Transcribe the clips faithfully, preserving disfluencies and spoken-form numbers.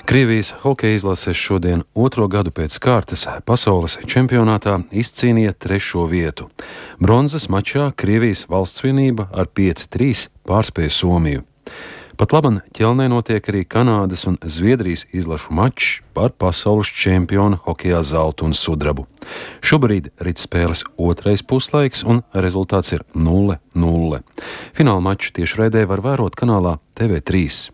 Krievijas hokeja izlase šodien otro gadu pēc kārtas pasaules čempionātā izcīnīja trešo vietu. Bronzas mačā Krievijas valsts vienība ar pieci trīs pārspēja Somiju. Pat laban ķelnē notiek arī Kanādas un Zviedrijas izlašu mačs par pasaules čempionu hokejā zeltu un sudrabu. Šobrīd rit spēles otrais puslaiks un rezultāts ir nulle nulle. Fināla maču tiešraidē var vērot kanālā T V trīs.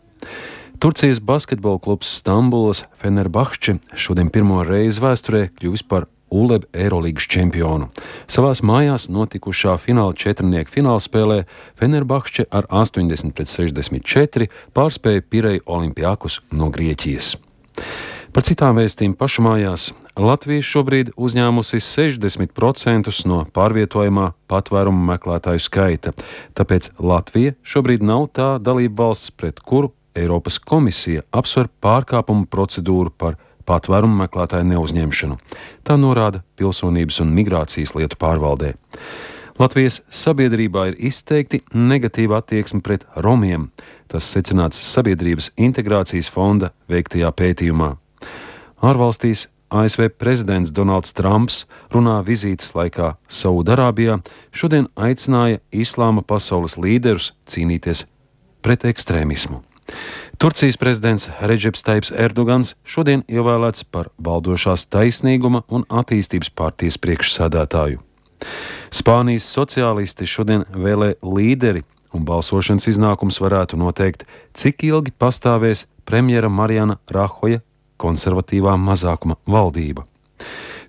Turcijas basketbola klubs Stambulas Fenerbahče šodien pirmo reizi vēsturē kļuvis par U L E B Eirolīgas čempionu. Savās mājās notikušā fināla četrnieku finālspēlē Fenerbahče ar astoņdesmit pret sešdesmit četri pārspēja Pireju Olimpiakus no Grieķijas. Par citām vēstīm pašu mājās. Latvija šobrīd uzņēmusi sešdesmit procentus no pārvietojamā patvērumu meklētāju skaita, tāpēc Latvija šobrīd nav tā dalība valsts, pret kuru Eiropas komisija apsver pārkāpumu procedūru par patvērumu meklētāju neuzņemšanu. Tā norāda Pilsonības un migrācijas lietu pārvaldē. Latvijas sabiedrībā ir izteikti negatīva attieksme pret romiem. Tas secināts Sabiedrības integrācijas fonda veiktajā pētījumā. Ārvalstīs A S V prezidents Donalds Trumps runā vizītes laikā Saudarābijā šodien aicināja islāma pasaules līderus cīnīties pret ekstrēmismu. Turcijas prezidents Redžeps Taips Erdogans šodien ievēlēts par valdošās taisnīguma un attīstības partijas priekšsēdētāju. Spānijas sociālisti šodien vēlē līderi, un balsošanas iznākums varētu noteikt, cik ilgi pastāvēs premjera Mariana Rahoja konservatīvā mazākuma valdība.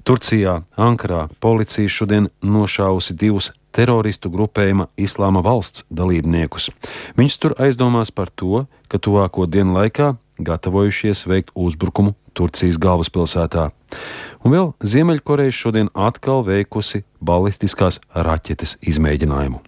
Turcijā, Ankarā, policija šodien nošāvusi divus teroristu grupējuma Islāma valsts dalībniekus. Viņus tur aizdomās par to, ka tuvāko dienu laikā gatavojušies veikt uzbrukumu Turcijas galvaspilsētā. Un vēl Ziemeļkoreja šodien atkal veikusi balistiskās raķetes izmēģinājumu.